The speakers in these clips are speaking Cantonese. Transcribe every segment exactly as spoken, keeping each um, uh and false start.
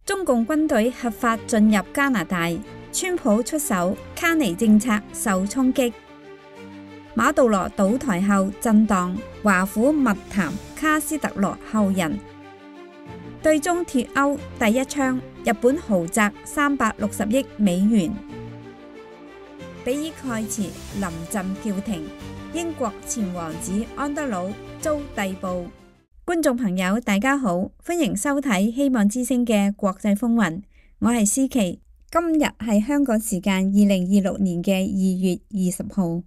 中共軍隊合法進入加拿大，川普出手，卡尼政策受衝擊。馬杜羅倒台後震盪，華府密談卡斯特羅後人。對中脫歐第一槍，日本豪擲三百六十億美元。比爾蓋茨臨陣叫停，英國前王子安德魯遭逮捕。觀眾朋友大家好，歡迎收睇希望之聲嘅國際風雲，我係思琪。今日係香港時間二零二六年嘅二月二十號。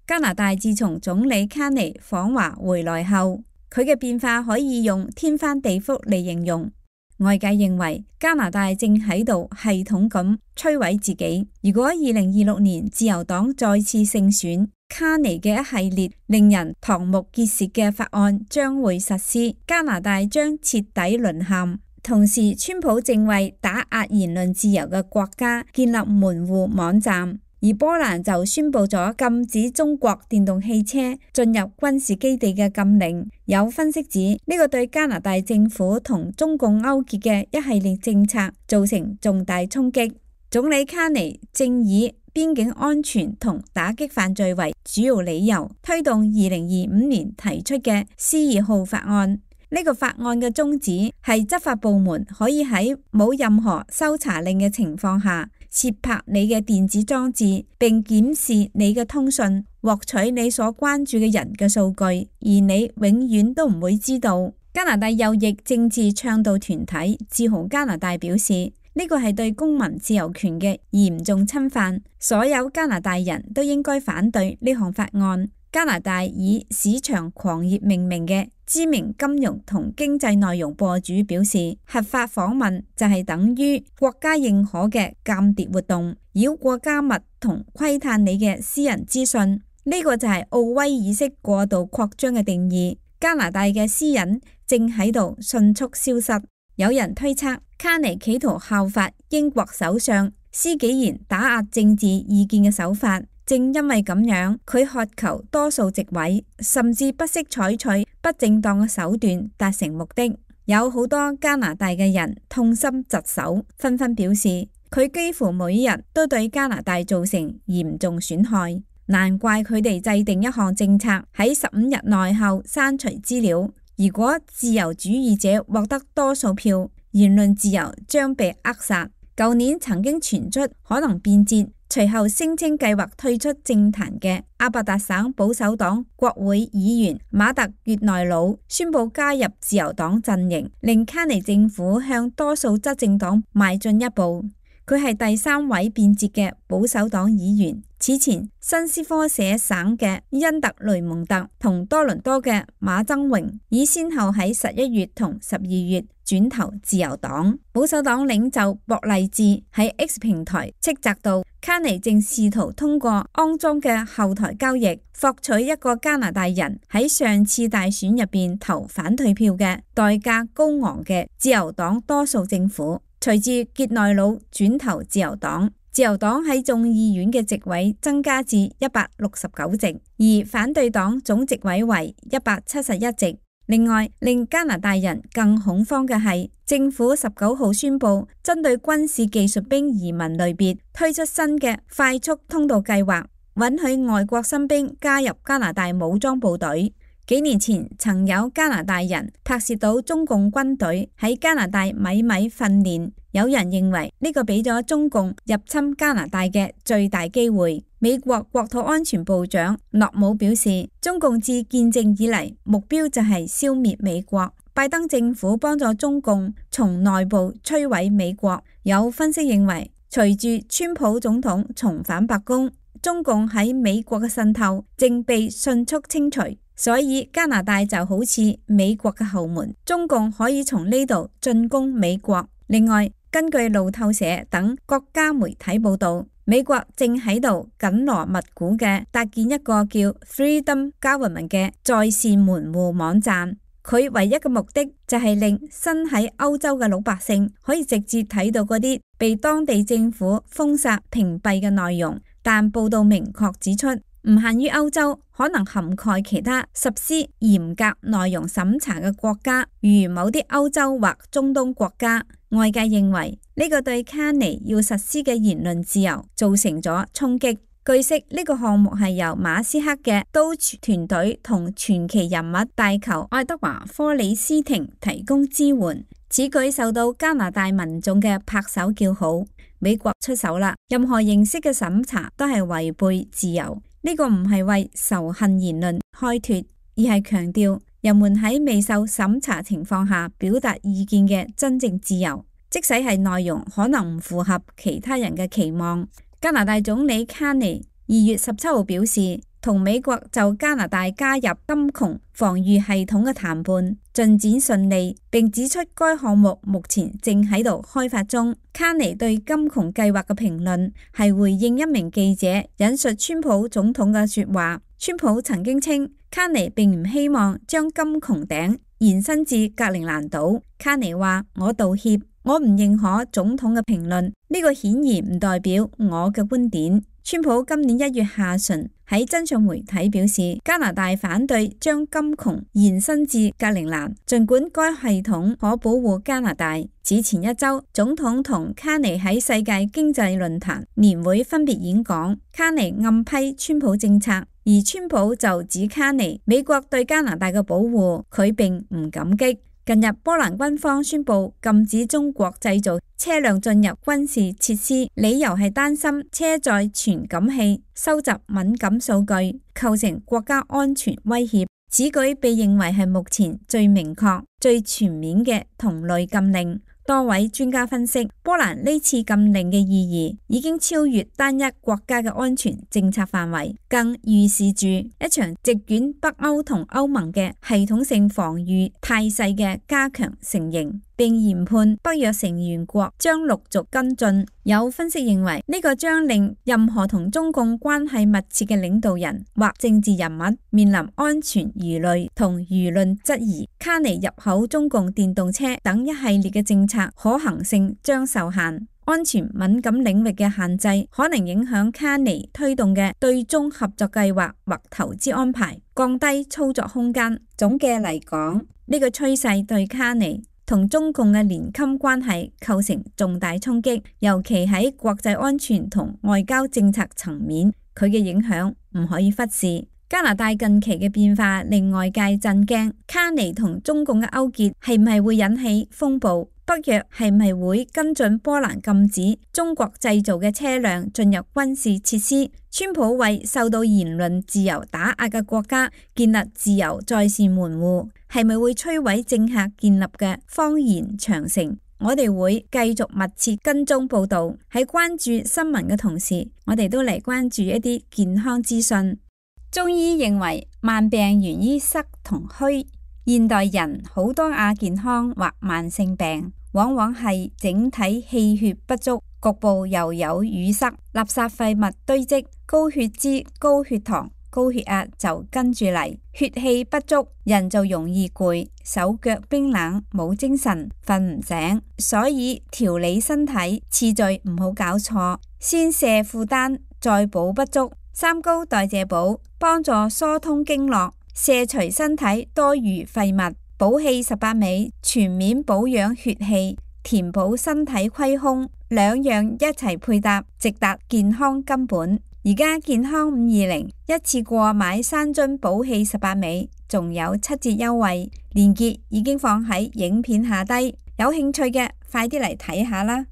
加拿大自從總理卡尼訪華回來後，佢嘅變化可以用天翻地覆嚟形容。外界認為加拿大正喺度系統咁摧毀自己。如果二零二六年自由黨再次勝選，卡尼嘅一系列令人瞠目結舌嘅法案將會實施，加拿大將徹底淪陷。同時，川普正為打壓言論自由嘅國家建立門戶網站。而波蘭就宣布咗禁止中國電動汽車進入軍事基地嘅禁令。有分析指呢個對加拿大政府同中共勾結嘅一系列政策造成重大衝擊。總理卡尼正以邊境安全同打擊犯罪為主要理由，推動二零二五年提出嘅 C 二號法案。呢個法案嘅宗旨係執法部門可以喺冇任何搜查令嘅情況下竊拍你嘅電子裝置，並檢視你嘅通訊，獲取你所關注嘅人嘅數據，而你永遠都唔會知道。加拿大右翼政治倡導團體自豪加拿大表示，呢個係對公民自由權嘅嚴重侵犯，所有加拿大人都應該反對呢項法案。加拿大以市場狂熱命名嘅知名金融同經濟內容博主表示，合法訪問就係等於國家認可嘅間諜活動，繞過加密同窺探你嘅私人資訊。呢個就係奧威爾式過度擴張嘅定義。加拿大嘅私隱正喺度迅速消失。有人推測，卡尼企圖效法英國首相施紀賢打壓政治意見嘅手法。正因為咁樣，佢渴求多數席位，甚至不惜採取不正當嘅手段達成目的。有好多加拿大嘅人痛心疾首，紛紛表示佢幾乎每日都對加拿大造成嚴重損害。難怪佢哋制定一項政策，喺十五日內後刪除資料。如果自由主義者獲得多數票，言論自由將被扼殺。舊年曾經傳出可能變節，隨後聲稱計劃退出政壇嘅阿伯達省保守黨國會議員馬特越內魯宣布加入自由黨陣營，令卡尼政府向多數執政黨邁進一步。佢係第三位變節嘅保守黨議員。此前，新斯科舍省嘅恩特雷蒙特同多倫多嘅馬曾榮已先後喺十一月同十二月轉投自由黨。保守黨領袖博勵治喺 X 平台斥責到，卡尼正試圖通過骯髒嘅後台交易，獲取一個加拿大人喺上次大選入邊投反對票嘅代價高昂嘅自由黨多數政府。隨住傑內魯轉投自由黨，自由黨喺眾議院嘅席位增加至一百六十九席，而反對黨總席位為一百七十一席。另外，令加拿大人更恐慌嘅係，政府十九號宣布針對軍事技術兵移民類別推出新嘅快速通道計劃，允許外國新兵加入加拿大武裝部隊。幾年前曾有加拿大人拍攝到中共軍隊喺加拿大米米訓練，有人認為呢個俾咗中共入侵加拿大嘅最大機會。美國國土安全部長諾姆表示，中共自建政以嚟目標就係消滅美國，拜登政府幫助中共從內部摧毀美國。有分析認為，隨住川普總統重返白宮，中共喺美國嘅滲透正被迅速清除。所以加拿大就好似美國嘅後門，中共可以從呢度進攻美國。另外，根據路透社等國家媒體報道，美國正喺度緊鑼密鼓嘅搭建一個叫 Freedom Government 嘅在線門戶網站。佢唯一嘅目的就係令身喺歐洲嘅老百姓可以直接睇到嗰啲被當地政府封殺屏蔽嘅內容。但報道明確指出，唔限於歐洲，可能涵蓋其他實施嚴格內容審查嘅國家，如某啲歐洲或中東國家。外界認為呢個對卡尼要實施嘅言論自由造成咗衝擊。據悉，呢個項目係由馬斯克嘅 Doge 團隊同傳奇人物大球愛德華科里斯廷提供支援。此舉受到加拿大民眾嘅拍手叫好。美國出手啦，任何形式嘅審查都係違背自由。呢個唔係為仇恨言論開脫，而係強調人們喺未受審查情況下表達意見嘅真正自由，即使係內容可能唔符合其他人嘅期望。加拿大總理卡尼二月十七號表示，同美國就加拿大加入金窮防禦系統嘅談判進展順利，並指出該項目目前正喺度開發中。卡尼對金窮計劃嘅評論係回應一名記者引述川普總統嘅說話。川普曾經稱卡尼並唔希望將金窮頂延伸至格陵蘭島。卡尼話：我道歉，我唔認可總統嘅評論，呢個顯然唔代表我嘅觀點。川普今年一月下旬喺真相媒體表示，加拿大反對將金窮延伸至格陵蘭，儘管該系統可保護加拿大。此前一周，總統同卡尼喺世界經濟論壇年會分別演講，卡尼暗批川普政策，而川普就指卡尼美國對加拿大嘅保護，佢並唔感激。近日，波蘭軍方宣布禁止中國製造車輛進入軍事設施，理由係擔心車載傳感器收集敏感數據，構成國家安全威脅。此舉被認為係目前最明確、最全面嘅同類禁令。多位專家分析，波蘭呢次禁令嘅意義已經超越單一國家嘅安全政策範圍，更預示住一場席捲北歐同歐盟嘅系統性防禦態勢嘅加強成形，並研判北約成員國將陸續跟進。有分析認為，呢個將令任何同中共關係密切嘅領導人或政治人物面臨安全疑慮同輿論質疑。卡尼入口中共電動車等一系列嘅政策可行性將受限，安全敏感領域嘅限制可能影響卡尼推動嘅對中合作計劃或投資安排，降低操作空間。總嘅嚟講，呢個趨勢對卡尼同中共嘅連襟關係構成重大衝擊，尤其喺國際安全同外交政策層面，佢嘅影響唔可以忽視。加拿大近期嘅變化令外界震驚，卡尼同中共嘅勾結係唔係會引起風暴？北約係唔係會跟進波蘭禁止中國製造嘅車輛進入軍事設施？川普為受到言論自由打壓嘅國家建立自由在線門戶，係咪會摧毀政客建立嘅謊言長城？我哋會繼續密切跟蹤報道，喺關注新聞嘅同時，我哋都嚟關注一啲健康資訊。中醫認為慢病源於濕同虛，現代人好多亞健康或慢性病，往往係整體氣血不足，局部又有淤塞，垃圾廢物堆積，高血脂、高血糖、高血壓就跟住嚟，血氣不足，人就容易攰，手腳冰冷，冇精神，瞓唔醒。所以調理身體次序唔好搞錯，先卸負擔，再補不足。三高代謝補幫助疏通經絡，卸除身體多餘廢物。補氣十八味全面保養血氣，填補身體虧空，兩樣一齊配搭，直達健康根本。而家健康五二零一次過買三樽補氣十八味，仲有七折優惠，鏈接已經放喺影片下低，有興趣嘅快啲嚟睇下啦。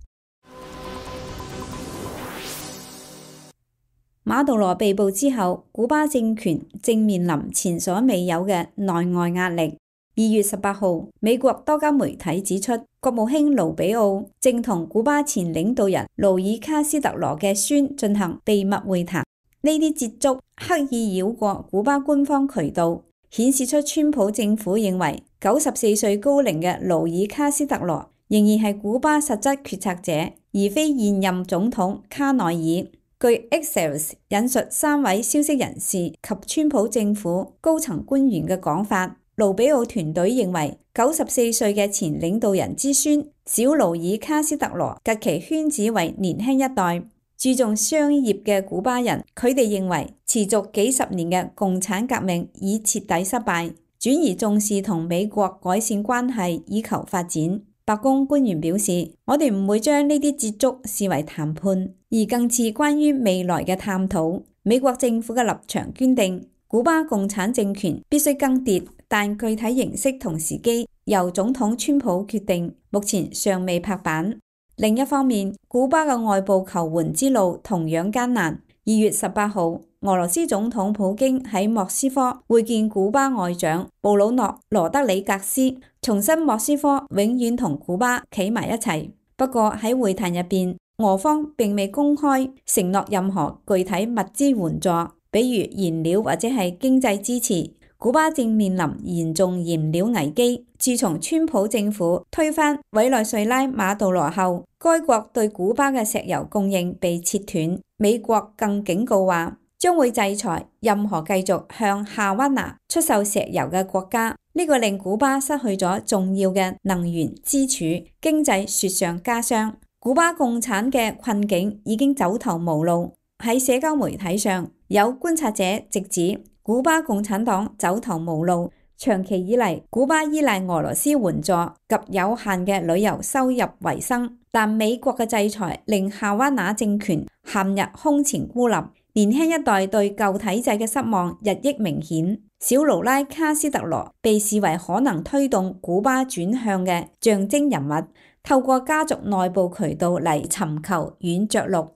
馬杜羅被捕之後，古巴政權正面臨前所未有嘅內外壓力。二月十八號，美國多家媒體指出，國務卿盧比奧正同古巴前領導人勞爾卡斯特羅嘅孫進行秘密會談。呢啲接觸刻意繞過古巴官方渠道，顯示出川普政府認為九十四歲高齡嘅勞爾卡斯特羅仍然係古巴實質決策者，而非現任總統卡內爾。據 Axios 引述三位消息人士及川普政府高層官員嘅講法，盧比奧團隊認為九十四歲嘅前領導人之孫小勞爾卡斯特羅及其圈子為年輕一代，注重商業嘅古巴人，佢哋認為持續幾十年嘅共產革命已徹底失敗，轉而重視同美國改善關係以求發展。白宮官員表示，我哋唔會將呢啲接觸視為談判，而更似關於未來嘅探討。美國政府嘅立場堅定，古巴共產政權必須更迭，但具體形式同時機由總統川普決定，目前尚未拍板。另一方面，古巴嘅外部求援之路同樣艱難。二月十八號，俄羅斯總統普京喺莫斯科會見古巴外長布魯諾·羅德里格斯，重申莫斯科永遠同古巴企埋一齊。不過喺會談入邊，俄方並未公開承諾任何具體物資援助，比如燃料或者係經濟支持。古巴正面臨嚴重燃料危機。自從川普政府推翻委內瑞拉馬杜羅後，該國對古巴嘅石油供應被切斷。美國更警告話，將會制裁任何繼續向夏灣拿出售石油嘅國家。呢個令古巴失去咗重要嘅能源支柱，經濟雪上加霜。古巴共產嘅困境已經走投無路。喺社交媒體上，有觀察者直指，古巴共產黨走投無路，長期以嚟，古巴依賴俄羅斯援助及有限嘅旅遊收入為生，但美國嘅制裁令夏灣拿政權陷入空前孤立，年輕一代對舊體制嘅失望日益明顯。小盧拉卡斯特羅被視為可能推動古巴轉向嘅象徵人物，透過家族內部渠道嚟尋求軟着陸。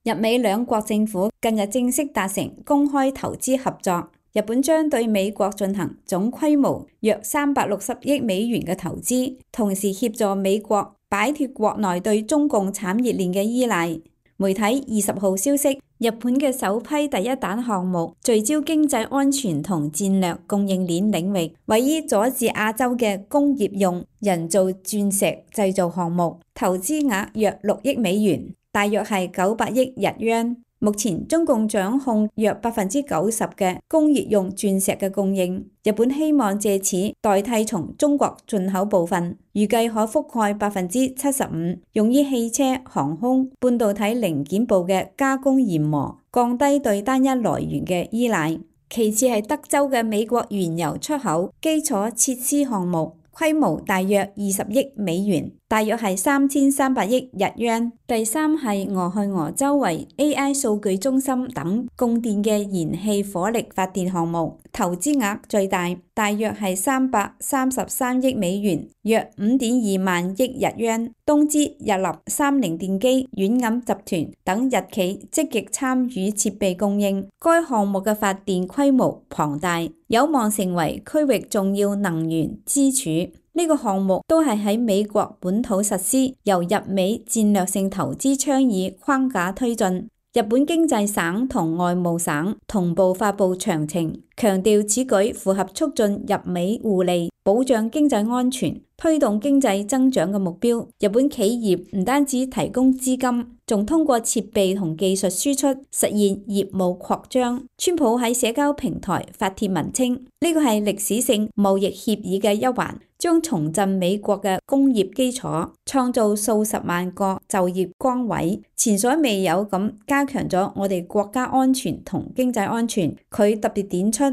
日美兩國政府近日正式達成公開投資合作，日本將對美國進行總規模約三百六十億美元嘅投資，同時協助美國擺脫國內對中共產業鏈嘅依賴。媒體二十號消息，日本嘅首批第一彈項目聚焦經濟安全同戰略供應鏈領域，位於佐治亞州嘅工業用人造鑽石製造項目，投資額約六億美元。大約係九百億日元。目前中共掌控約百分之九十嘅工業用鑽石嘅供應，日本希望借此代替從中國進口部分，預計可覆蓋百分之七十五，用於汽車、航空、半導體零件部嘅加工研磨，降低對單一來源嘅依賴。其次係德州嘅美國原油出口基礎設施項目，規模大約二十億美元，大約係三千三百億日元。第三係俄亥俄州為 A I 數據中心等供電嘅燃氣火力發電項目，投資額最大，大約係三百三十三億美元，約五點二萬億日元。東芝、日立、三菱電機、軟銀集團等日企積極參與設備供應，該項目嘅發電規模龐大，有望成為區域重要能源支柱。呢個項目都係喺美國本土實施，由日美戰略性投資倡議框架推進。日本經濟省同外務省同步發布詳情，強調此舉符合促進日美互利、保障經濟安全、推動經濟增長嘅目標。日本企業唔單止提供資金，仲通過設備同技術輸出實現業務擴張。川普喺社交平台發帖文稱，呢個係歷史性貿易協議嘅一環，將重振美國嘅工業基礎，創造數十萬個就業崗位，前所未有咁加強咗我哋國家安全同經濟安全。佢特別點出，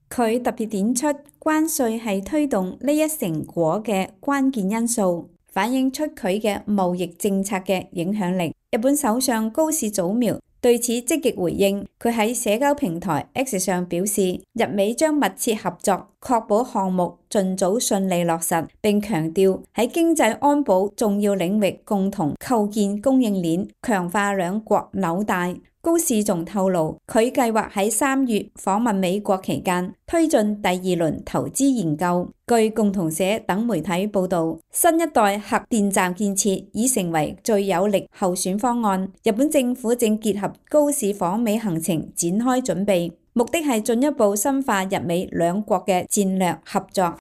佢特別點出關稅係推動呢一成果嘅關鍵因素，反映出佢嘅貿易政策嘅影響力。日本首相高市早苗對此積極回應，佢喺社交平台 X 上表示，日美將密切合作，確保項目盡早順利落實，並強調喺經濟安保重要領域共同構建供應鏈，強化兩國紐帶。高市仲透露，佢計劃喺三月訪問美國期間，推進第二輪投資研究。據共同社等媒體報導，新一代核電站建設已成為最有力候選方案。日本政府正結合高市訪美行程展開準備，目的係進一步深化日美兩國嘅戰略合作。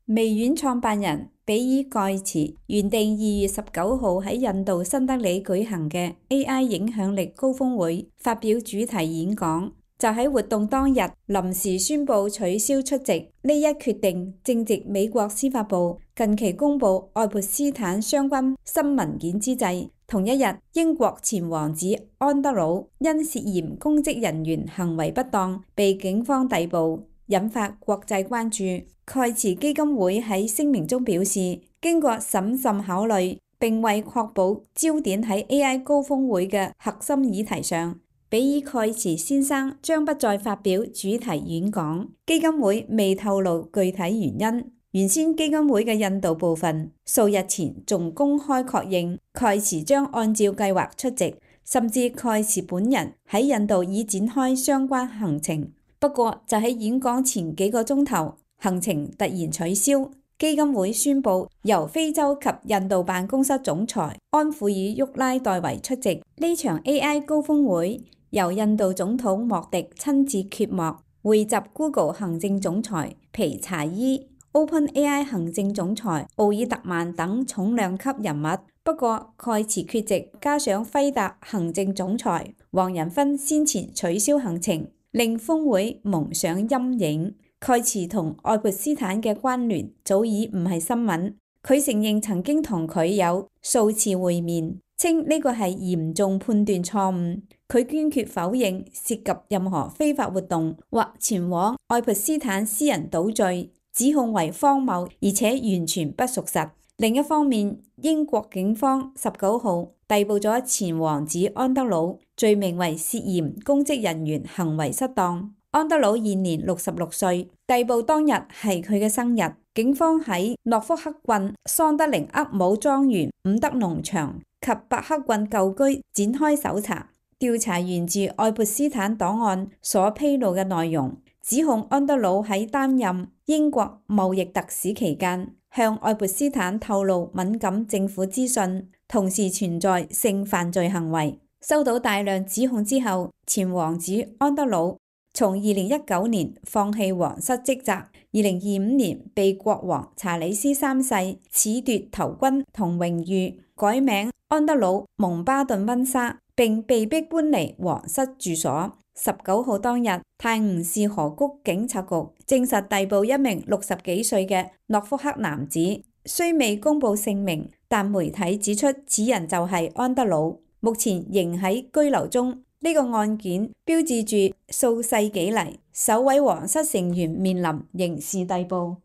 微軟創辦人比爾蓋茨原定二月十九號喺印度新德里舉行嘅 A I 影響力高峰會發表主題演講，就喺活動當日臨時宣布取消出席。呢一決定正值美國司法部近期公布愛潑斯坦相關新文件之際，同一日英國前王子安德魯因涉嫌公職人員行為不當被警方逮捕，引發國際關注。蓋茨基金會喺聲明中表示，經過審慎考慮，並為確保焦點喺 A I 高峰會嘅核心議題上，比爾蓋茨先生將不再發表主題演講。基金會未透露具體原因。原先基金會嘅印度部分數日前仲公開確認蓋茨將按照計劃出席，甚至蓋茨本人喺印度已展開相關行程。不過就喺演講前幾個鐘頭，行程突然取消。基金會宣布由非洲及印度辦公室總裁安富爾沃拉代為出席呢場 A I 高峰會。由印度總統莫迪親自揭幕，匯集 Google 行政總裁皮查伊、OpenAI 行政總裁奧爾特曼等重量級人物。不過蓋茨缺席，加上輝達行政總裁黃仁勳先前取消行程，令峰會蒙上陰影。蓋茨同愛潑斯坦嘅關聯早已唔係新聞。佢承認曾經同佢有數次會面，稱呢個係嚴重判斷錯誤。佢堅決否認涉及任何非法活動或前往愛潑斯坦私人島嶼，指控為荒謬而且完全不屬實。另一方面，英國警方十九號逮捕咗前王子安德魯，罪名為涉嫌公職人員行為失當。安德魯現年六十六歲，逮捕當日係佢嘅生日。警方喺諾福克郡桑德靈厄姆莊園、伍德農場及伯克郡舊居展開搜查，調查源自愛潑斯坦檔案所披露嘅內容，指控安德魯喺擔任英國貿易特使期間，向愛潑斯坦透露敏感政府資訊，同時存在性犯罪行為。收到大量指控之後，前王子安德魯從二零一九年放棄皇室職責，二零二五年被國王查理斯三世褫奪頭巾同榮譽，改名安德魯蒙巴頓溫莎，並被逼搬離皇室住所。十九號當日，泰晤士河谷警察局證實逮捕一名六十幾歲嘅諾福克男子，雖未公布姓名，但媒體指出此人就係安德魯，目前仍喺居留中。呢個案件標誌住數世紀嚟首位皇室成員面臨刑事逮捕。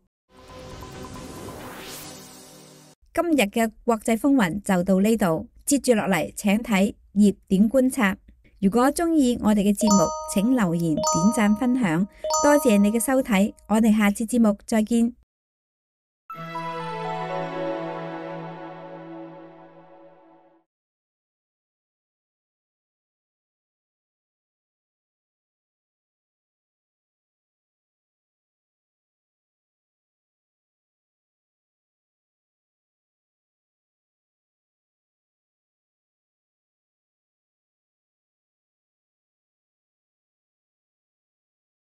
今日嘅國際風雲就到呢度，接住落嚟請睇熱點觀察。如果中意我哋嘅節目，請留言、點讚、分享，多謝你嘅收睇，我哋下次節目再見。